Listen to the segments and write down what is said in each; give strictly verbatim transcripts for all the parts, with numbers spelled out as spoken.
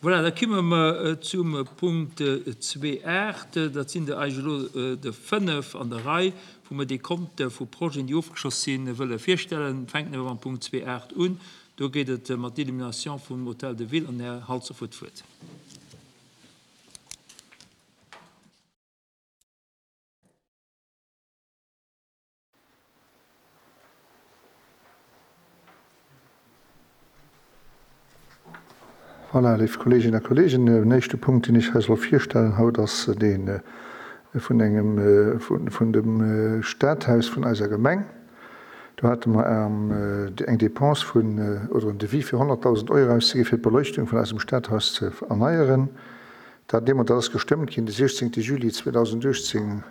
Voilà, da komme mer zum Punkt zwee aacht. Dat sinn der eigentlech elo der fënnef an der Rei, wou mer déi Konte vu Projeten, déi ofgeschloss sinn, wëlle virstellen. Fänken awer mam Punkt zwee aacht un. Do geet et mat d'Illumination vum Hôtel de Ville an Här Halsdorf huet d'Wuert. Voilà, léif Kolleeginnen a Kolleegen, den éischte Punkt, deen ech hei soll virstellen haut, ass dee vun engem, vun dem Stadhaus vun eiser Gemeng. Do hate mer eng Dépense vun, oder en Devis fir honnertdausend Euro auszegi fir d'Beleuchtung vun eisem Stadhaus ze erneieren. Dat deemol, dat ass gestëmmt ginn de siechzéngte Juli zweedausenduechtzéng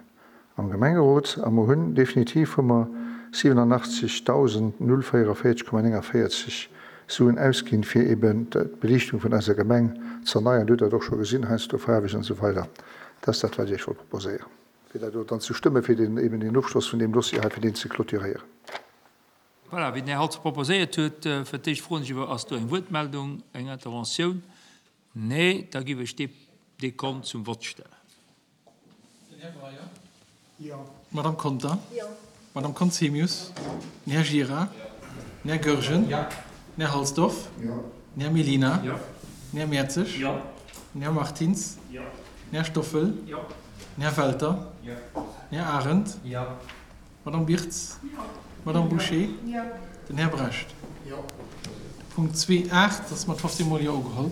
am Gemengerot. A mer hunn definitiv hu mer siwenanachtzegdausend null véierunvéierzeg Komma néngavéierzeg Suen ausginn, fir eben d'Beliichtung vun eiser Gemeng ze erneiern. Dir hutt dat och scho gesinn, heiansdo faarweg an esou weider. Dat ass dat, wat ech Iech wollt proposéieren, fir dat do dann ze stëmmen, fir den, eben den Ofschloss vun deem Dossier hei, fir deen ze clôturéieren. Voilà, wéi den Här Holtz proposéiert huet, fir d'éischt froen ech iwwer, ass do eng Wuertmeldung, eng Interventioun? Nee, da giff ech dee, dee Kont zum Vott stellen. Den Här Breyer? Jo. D'Madame Conter? Jo. D'Madame Conzemius? Den Här Gira? Den Här Goergen? Jo. Den Här Halsdorf? Jo. Den Här Mellina? Jo. Den Här Mertzig? Jo. Den Här Martins? Jo. Den Här Stoffel? Jo. Den Här Welter? Jo. Den Här Arendt? Jo. D'Madame Birtz? Jo. D'Madame Bouché? Jo. Den Här Brecht? Jo. De Punkt zwee aacht ass mat fofzéng Mol Jo ugeholl.